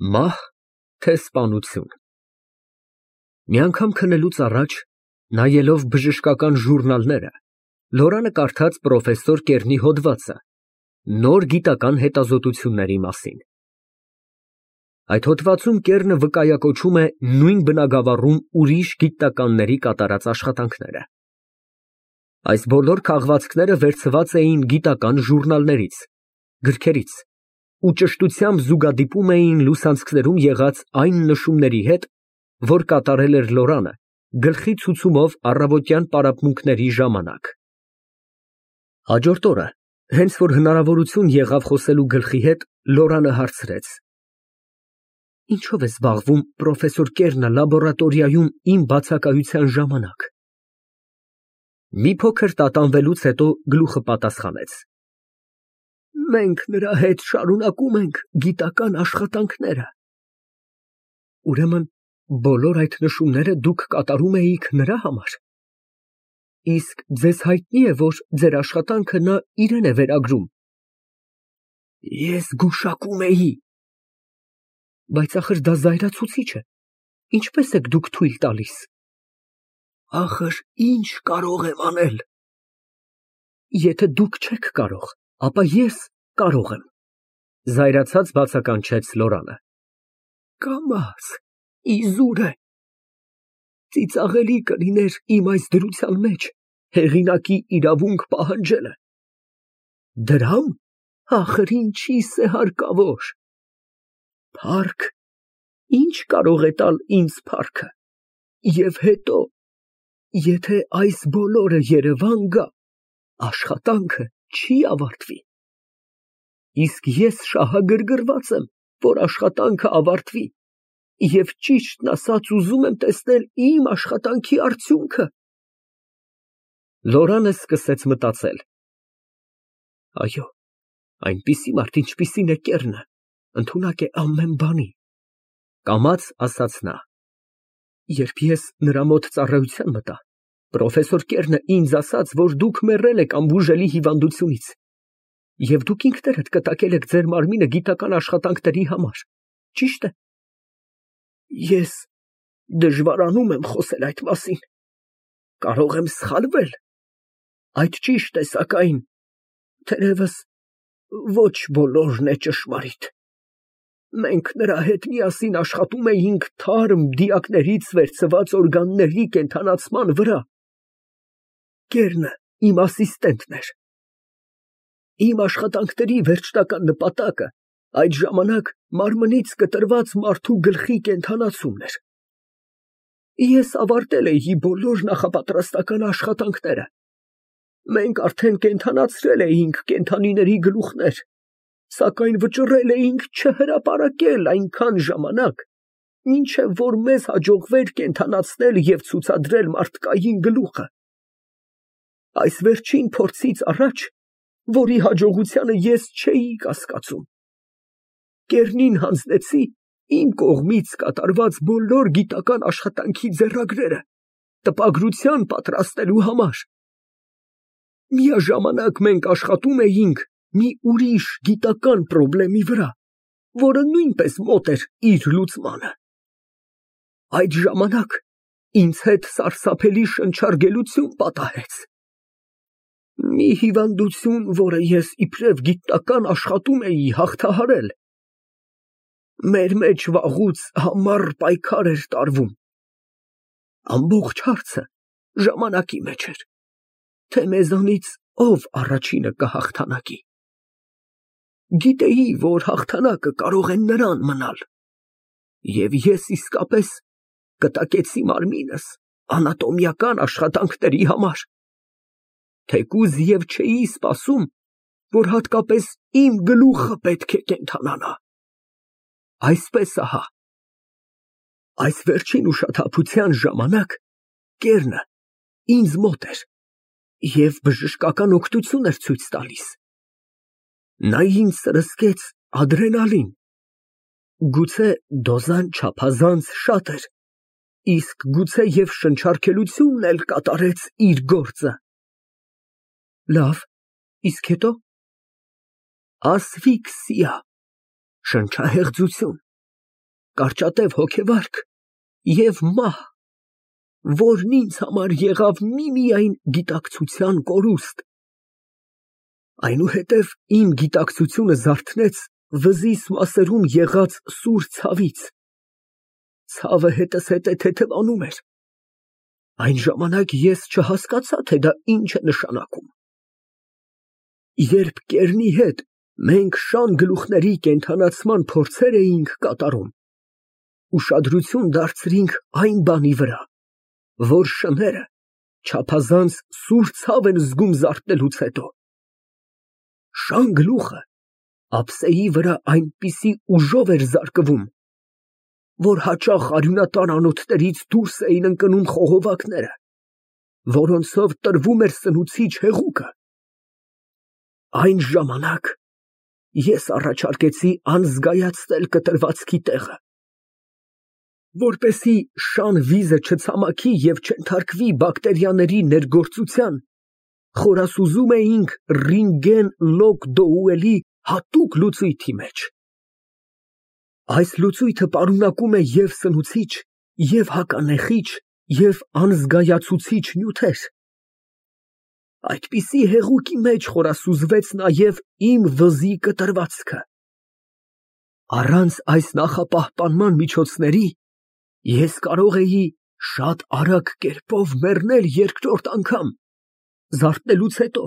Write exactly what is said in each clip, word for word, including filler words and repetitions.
Մահ, թե սպանություն։ Մի անգամ քնելուց առաջ, նայելով բժշկական ժուրնալները, Լորանը կարդաց պրոֆեսոր Կեռնի հոդվածը նոր գիտական հետազոտությունների մասին։ Այդ հոդվածում Կեռնը վկայակոչում է նույն բնագավառում ուրիշ գիտնականների կատարած աշխատանքները։ Այս բոլոր քաղվածքները վերցված էին գիտական ժուրնալներից, գրքերից ու ճշտությամբ զուգադիպում էին լուսանցքներում եղած այն նշումների հետ, որ կատարել էր Լորանը գլխի ցուցումով առավոտյան պարապմունքների ժամանակ։ Հաջորդ օրը, հենց որ հնարավորություն եղավ խոսելու գլխի հետ, Լորանը հարցրեց. Ինչո՞վ է զբաղվում պրոֆեսոր Կեռնը լաբորատորիայում իմ բացակայության ժամանակ։ Մի փոքր տատանվելուց հետո գլուխը պատասխանեց. Մենք նրա հետ շարունակում ենք գիտական աշխատանքները։ Ուրեմն բոլոր այդ նշումները դուք կատարում էիք նրա համար։ Իսկ ձեզ հայտնի է, որ ձեր աշխատանքը նա իրեն է վերագրում։ Ես գուշակում էի։ Բայց ախր դա զայրացուցիչ է։ Ինչպես եք դուք թույլ տալիս։ Ախր ինչ կարող եմ անել։ Եթե դուք չեք կարող, ապա ես կարող եմ, զայրացած բացականչեց Լորանը։ Կամաց, իզուր է։ Ծիծաղելի կլիներ իմ այս դրության մեջ հեղինակի իրավունք պահանջելը։ Դրամ, ախր ինչիս է հարկավոր։ Փառք, ինչ կարող է տալ ինձ փառքը։ Եվ հետո, եթե այս բոլորը Երևան գա, աշխատանքը չի ավարտվի։ Իսկ ես շահագրգռված եմ, որ աշխատանքը ավարտվի, և ճիշտն ասած ուզում եմ տեսնել իմ աշխատանքի արդյունքը։ Լորանը սկսեց մտածել. Այո, այնպիսի մարդ, ինչպիսին է Կեռնը, ընդունակ է ամեն բանի, կամաց ասաց նա։ Երբ ես նրա մոտ ծառայության մտա, պրոֆեսոր Կեռնը ինձ ասաց, որ դուք մեռել եք անբուժելի հիվանդությունից, և դուք ինքներդ կտակել եք ձեր մարմինը գիտական աշխատանքների համար, ճի՞շտ է։ Ես դժվարանում եմ խոսել այդ մասին, կարող եմ սխալվել, այդ ճիշտ է, սակայն թերևս ոչ բոլորն է ճշմարիտ։ Մենք նրա հետ միասին աշխատում էինք թարմ դիակներից վերցված օրգանների կենդանացման վրա։ Կեռնը իմ ասիստենտն էր։ Իմ աշխատանքների վերջնական նպատակը այդ ժամանակ մարմնից կտրված մարդու գլխի կենդանացումն էր։ Ես ավարտել էի բոլոր նախապատրաստական աշխատանքները։ Մենք արդեն կենդանացրել էինք կենդանիների գլուխներ, սակայն վճռել էինք չհրապարակել այնքան ժամանակ, մինչև որ մեզ հաջողվեր կենդանացնել և ցուցադրել մարդկային գլուխը։ Այս վերջին փորձից առաջ, որի հաջողությանը ես չէի կասկածում, Կեռնին հանձնեցի իմ կողմից կատարված բոլոր գիտական աշխատանքի ձեռագրերը տպագրության պատրաստելու համար։ Միաժամանակ մենք աշխատում էինք մի ուրիշ գիտական պրոբլեմի վրա, որը նույնպես մոտ էր իր լուծմանը։ Այդ ժամանակ ինձ հետ սարսափելի շնչառգելություն պատահեց։ Մի հիվանդություն, որը ես իբրև գիտնական աշխատում էի հաղթահարել։ Մեր մեջ վաղուց համառ պայքար էր տարվում։ Ամբողջ հարցը ժամանակի մեջ էր, թե մեզանից ով առաջինը կհաղթանակի։ Գիտեի, որ հաղթանակը կարող է նրան մնալ, և ես իսկապես կտակեցի մարմինս անատոմիական աշխատանքների համար, թեկուզ և չէի սպասում, որ հատկապես իմ գլուխը պետք է կենդանանա։ Այսպես ահա, այս վերջին ուշաթափության ժամանակ Կեռնը ինձ մոտ էր և բժշկական օգնություն էր ցույց տալիս։ Նա ինձ սրսկեց ադրենալին, գուցե դոզան չափազանց շատ էր, իսկ գուցե և շնչառքելությունն էլ կատարեց իր գործը։ Լավ, իսկ հետո։ Ասֆիքսիա, շնչահեղձություն։ կարճատև հոգեվարք և մահ, որն ինձ համար եղավ միմիայն գիտակցության կորուստ, այնուհետև իմ գիտակցությունը զարթնեց վզիս մասերում եղած սուր ցավից, ցավը հետզհետե թեթևանում էր, այն ժամանակ ես չհասկացա, թե դա ինչ է նշանակում, երբ կեռնի հետ մենք շան գլուխների կենդանացման փորձեր էինք կատարում, ուշադրություն դարձրինք այն բանի վրա, որ շները չափազանց սուր ցավ են զգում զարթնելուց հետո, շան գլուխը ափսեի վրա այնպիսի ուժով էր զարկվում, որ հաճախ արյունատար անոթներից դուրս էին ընկնում խողովակները, որոնցով տրվում էր սնուցիչ հեղուկը, այն ժամանակ ես առաջարկեցի անզգայացնել կտրվածքի տեղը, որպեսզի շան վիզը չցամաքի և չենթարկվի բակտերիաների ներգործության, խորասուզում էինք ռինտգեն լոկ դոուելի հատուկ լուծույթի մեջ։ Այս լուծույթը պարունակում է և սնուցիչ, և հականեխիչ, և անզգայացուցիչ նյութեր։ Այդպիսի հեղուկի մեջ խորասուզվեց նաև իմ վզի կտրվածքը։ Առանց այս նախապահպանման միջոցների ես կարող էի շատ արագ կերպով մեռնել երկրորդ անգամ, զարթնելուց հետո,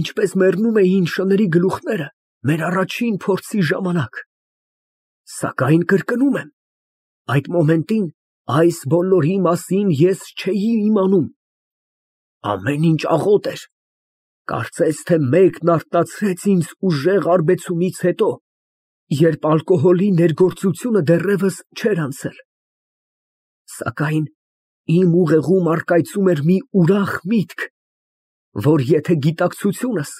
ինչպես մեռնում էին շների գլուխները մեր առաջին փորձի ժամանակ, սակայն կրկնում եմ, այդ մոմենտին այս բոլորի մասին ես չէի իմանում, ամեն ինչ աղոտ էր, կարծես թե մեկն արթնացրեց ինձ ուժեղ արբեցումից հետո, երբ ալկոհոլի ներգործությունը դեռևս չէր անցել, սակայն իմ ուղեղում առկայծում էր մի ուրախ միտք, որ եթե գիտակցությունս,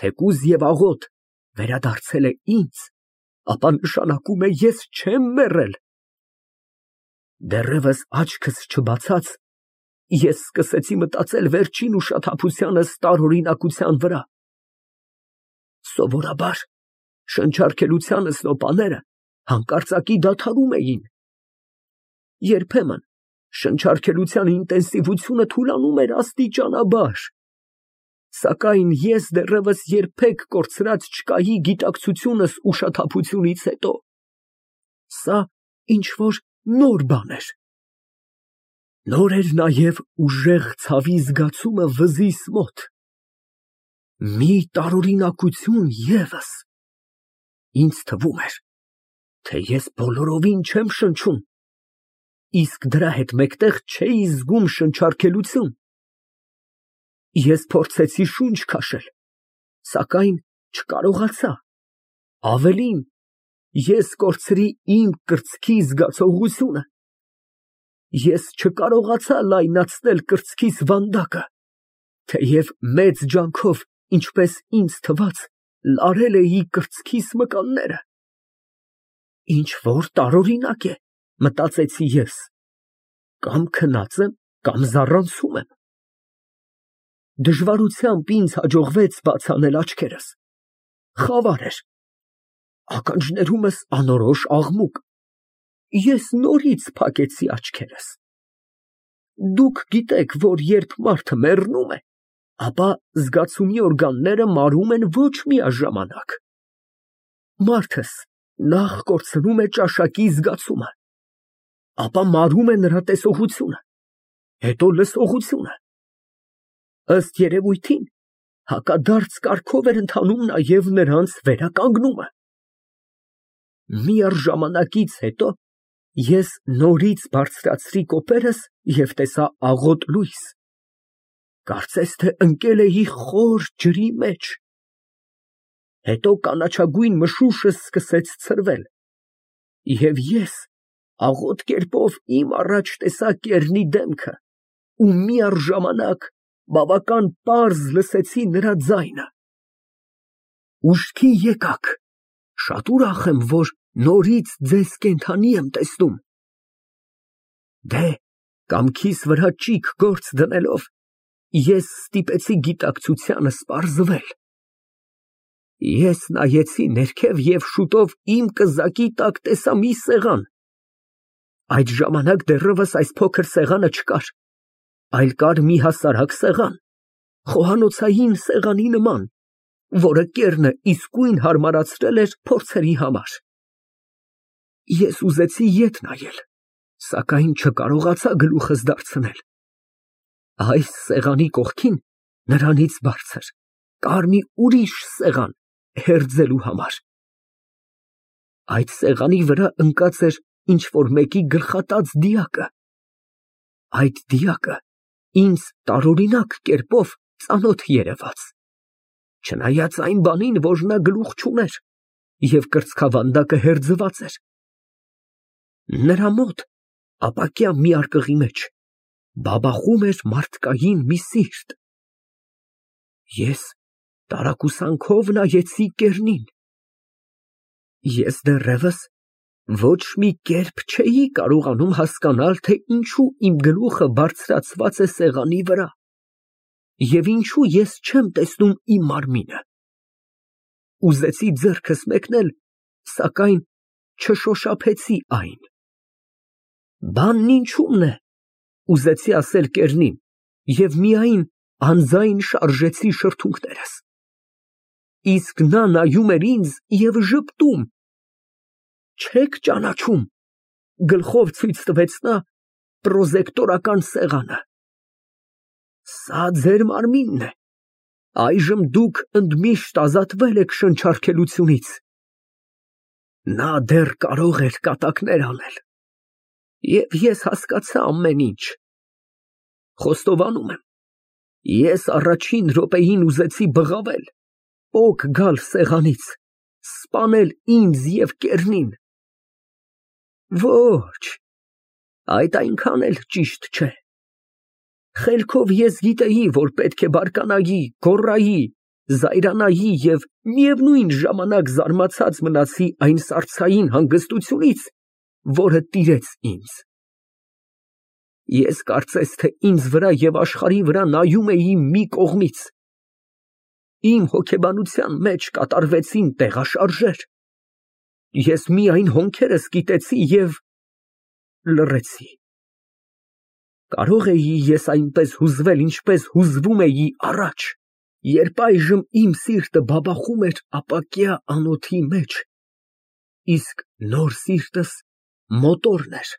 թեկուզ և աղոտ, վերադարձել է ինձ, ապա նշանակում է ես չեմ մեռել։ Դեռևս աչքս չբացած, ես սկսեցի մտածել վերջին ուշաթափությանս տարօրինակության վրա։ Սովորաբար շնչառքելությանս նոպաները հանկարծակի դադարում էին։ Երբեմն շնչառքելության ինտենսիվությունը թուլանում էր աստիճանաբար, սակայն ես դեռևս երբեք կորցրած չկայի գիտակցությունս ուշաթափությունից հետո, սա ինչ-որ նոր բան էր։ Նոր էր նաև ուժեղ ցավի զգացումը վզիս մոտ, մի տարօրինակություն ևս, ինձ թվում էր, թե ես բոլորովին չեմ շնչում, իսկ դրա հետ մեկտեղ չէի զգում շնչառքելություն։ Ես փորձեցի շունչ քաշել, սակայն չկարողացա, ավելին, ես կորցրի իմ կրծքի զգացողությունը, ես չկարողացա լայնացնել կրծքիս վանդակը, թեև մեծ ջանքով, ինչպես ինձ թվաց, լարել էի կրծքիս մկանները։ Ինչ-որ տարօրինակ է, մտածեցի ես, կամ քնած եմ, կամ զառանցում եմ։ Դժվարությամբ ինձ հաջողվեց բաց անել աչքերս, խավար էր, ականջներումս անորոշ աղմուկ, ես նորից փակեցի աչքերս։ Դուք գիտեք, որ երբ մարդը մեռնում է, ապա զգացումի օրգանները մարում են ոչ միաժամանակ։ Մարդս նախ կորցնում է ճաշակի զգացումը, ապա մարում է նրա տեսողությունը, հետո լսողությունը։ Ըստ երևույթին, հակադարձ կարգով էր ընթանում նաև նրանց վերականգնումը։ Միառժամանակից հետո ես նորից բարձրացրի կոպերս և տեսա աղոտ լույս, կարծես թե ընկել էի խոր ջրի մեջ։ Հետո կանաչագույն մշուշը սկսեց ցրվել, և ես աղոտ կերպով իմ առաջ տեսա կեռնի դեմքը ու միառժամանակ բավական պարզ լսեցի նրա ձայնը. «Ուշքի եկաք, շատ ուրախ եմ, որ նորից ձեզ կենդանի եմ տեսնում»։ Դե, կամքիս վրա ճիգ գործ դնելով, ես ստիպեցի գիտակցությանս պարզվել։ Ես նայեցի ներքև և շուտով իմ կզակի տակ տեսա մի սեղան, Այդ ժամանակ դեռևս այս փոքր սեղանը չկար, այլ կար մի հասարակ սեղան, խոհանոցային սեղանի նման, որը կեռը իսկույն հարմարացրել էր փորձերի համար։ Ես ուզեցի ետ նայել, սակայն չկարողացա գլուխս դարձնել։ Այս սեղանի կողքին, նրանից բարձր, կար մի ուրիշ սեղան հերձելու համար։ Այդ սեղանի վրա ընկած էր ինչ֊որ մեկի գլխատած դիակը։ Այդ դիակը ինձ տարօրինակ կերպով ծանոթ երևաց, չնայած այն բանին, որ նա գլուխ չուներ և կրծքավանդակը հերձված էր։ Նրա մոտ, ապակյա մի արկղի մեջ, բաբախում էր մարդկային մի սիրտ։ Ես տարակուսանքով նայեցի կեռնին։ Ես դեռևս ոչ մի կերպ չէի կարողանում հասկանալ, թե ինչու իմ գլուխը բարձրացված է սեղանի վրա և ինչու ես չեմ տեսնում իմ մարմինը։ Ուզեցի ձեռքս մեկնել, սակայն չշոշափեցի այն։ Բանն ինչու՞մն է, ուզեցի ասել կեռնին և միայն անձայն շարժեցի շրթունքներս։ Իսկ նա նայում էր ինձ և ժպտում։ Չե՞ք ճանաչում, գլխով ցույց տվեց նա պրոզեկտորական սեղանը։ Սա ձեր մարմինն է, այժմ դուք ընդմիշտ ազատվել եք շնչառքելությունից։ Նա դեռ կարող էր կատակներ անել, և ես հասկացա ամեն ինչ։ Խոստովանում եմ, ես առաջին րոպեին ուզեցի բղավել, պոկ գալ սեղանից, սպանել ինձ և կեռնին։ Ոչ, այդ այնքան էլ ճիշտ չէ։ Խելքով ես գիտեի, որ պետք է բարկանայի, գոռայի, զայրանայի և միևնույն ժամանակ զարմացած մնացի այն սարսափելի հանգստությունից, որը տիրեց ինձ։ Ես կարծես թե ինձ վրա և աշխարհի վրա նայում էի մի կողմից։ Իմ հոգեբանության մեջ կատարվեցին տեղաշարժեր։ Ես միայն հոնքերս կիտեցի և լռեցի։ Կարո՞ղ էի ես այնպես հուզվել, ինչպես հուզվում էի առաջ, երբ այժմ իմ սիրտը բաբախում էր ապակյա անոթի մեջ, իսկ նոր սիրտս մոտորն էր։